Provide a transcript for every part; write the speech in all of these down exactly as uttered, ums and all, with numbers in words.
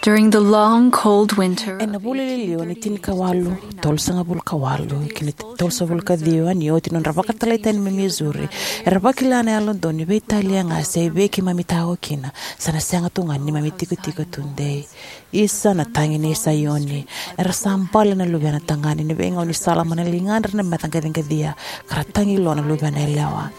During the long, cold winter, ena vula liliwa ni tinikawalu, tolusagavulu ka walu ki na tolusagavulu ka ciwa, ni oti nodra vakatalai tani mai Missouri, era vakila na Yalododonu ni veitalia ga se vei keimami tao kina, sa na sega tu ga ni neimami tikotiko tudei. Isa na tagi nei Saioni, era sa bale na luvena tagane ni veigaunisala mai na ligadra na meca qaciqacia, ka ra tagi lo na luvena yalewa.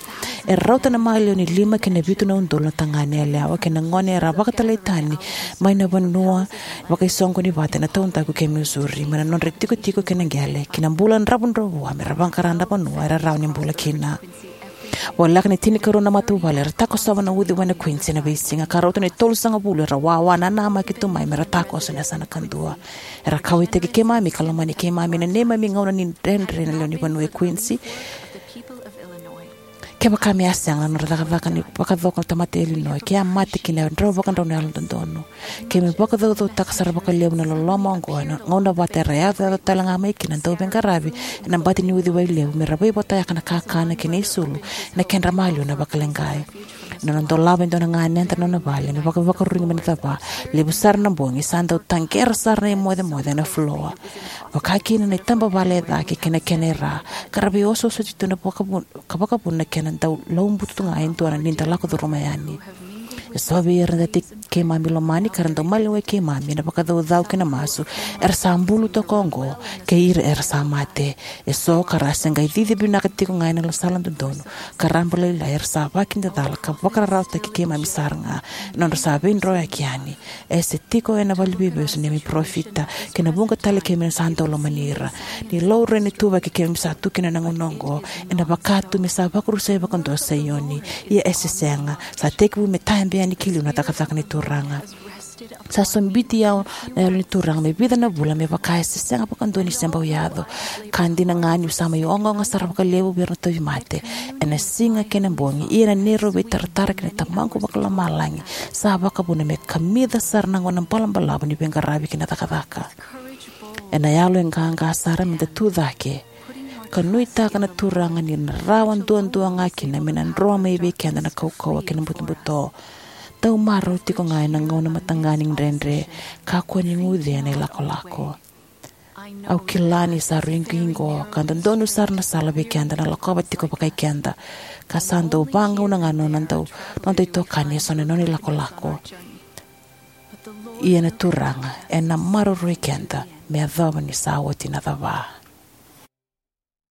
E rauta na maliwa ni lima ki na vitu na udolu na tagane yalewa kei na gone era vakatalai tani mai na vanua vakaisoqoni vata ena taudaku kei Missouri, mai na nodra itikotiko kei na qele ki na bula dravudravua me ra vaqara na vanua era rawa ni bula kina. Voleka ni tinikarua na matavuvale era takosova na uciwai na Quincy ena veisiga, ka rauta ni tolusagavulu era wawa nanamaki tu mai me ra takoso ena yasana kadua. Era kauwaitaki keimami ka lomani keimami ena neimami gauna ni dredre na lewe ni vanua e Quincy. Kevaka me a sega na nodra cakacaka ni vakacoko na tamata e Illinois, ke a mate kina e drau vakadrau na Yalododonu. Keimami vakacaucautaka sara vakalevu na loloma oqo ena gauna vata era yacoyaco tale ga mai kina na dauveiqaravi ena bati ni uciwai levu me ra veivotayaka na kakana kei na isulu ena kedra maliwa na vakaleqai. Ena nona dolava e dua na ganeda na nona vale me vakavakaruru mai na cava, levu sara na bogi sa dau taqera sara na imocemoce ena fuloa, vaka kina na itabavale e cake kei na kena ira, ka ra veiosooso tu na vakavuna, ka vakavuna na kena dau laubutu tu ga e dua na ni da lako curuma yani. Eso vei ira na tei keimami lomani ka ra dau maliwai keimami ena vakacaucau kei na masu, era sa bulu toka oqo, kei ira era sa mate. Eso ka ra se qai cici vinaka tiko ga ena sala dodonu ka raba lailai, era sa vakidacala ka vakararawataki keimami sara ga ena nodra sa veidroyaki yani. E se tiko ena valeniveivesu na neimami parofita kei na vuqa tale keimami sa dau lomani ira. Ni laurai na ituvaki keimami sa tu kina ena gauna oqo, ena vaka tu me sa vakarusai vakadua o Saioni. Ia e se sega, sa tekivu me tabe yani ki liu na cakacaka ni Turaga. Sa sobiti au na Yalo ni Turaga me vica na vula, me vaka e se sega vakadua ni se bau yaco. Ka dina ga niu sa mai ogaoga sara vakalevu vei ira na tauvimate ena siga kei na bogi, ia na neirau veitaratara kei na Tamaqu Vakalomalagi sa vakavuna me kamica sara na gauna balabalavu ni veiqaravi kei na cakacaka. Ena yalo e qaqa sara me da tucake ka nuitaka na Turaga ni na rawa duadua ga kina me na dro mai vei keda na kaukauwa kei na butobuto. Dau marau tiko ga ena gauna mataqali ni dredre, kakua ni guce ena ilakolako. Au kila ni sa rui qiqo ka dodonu sara na sala vei keda na lakova tiko vakai keda, ka sa dau vagauna ga na noda dau, noda itokani eso na nona ilakolako. Ia na Turaga ena maroroi keda me yacova ni sa oti na cava.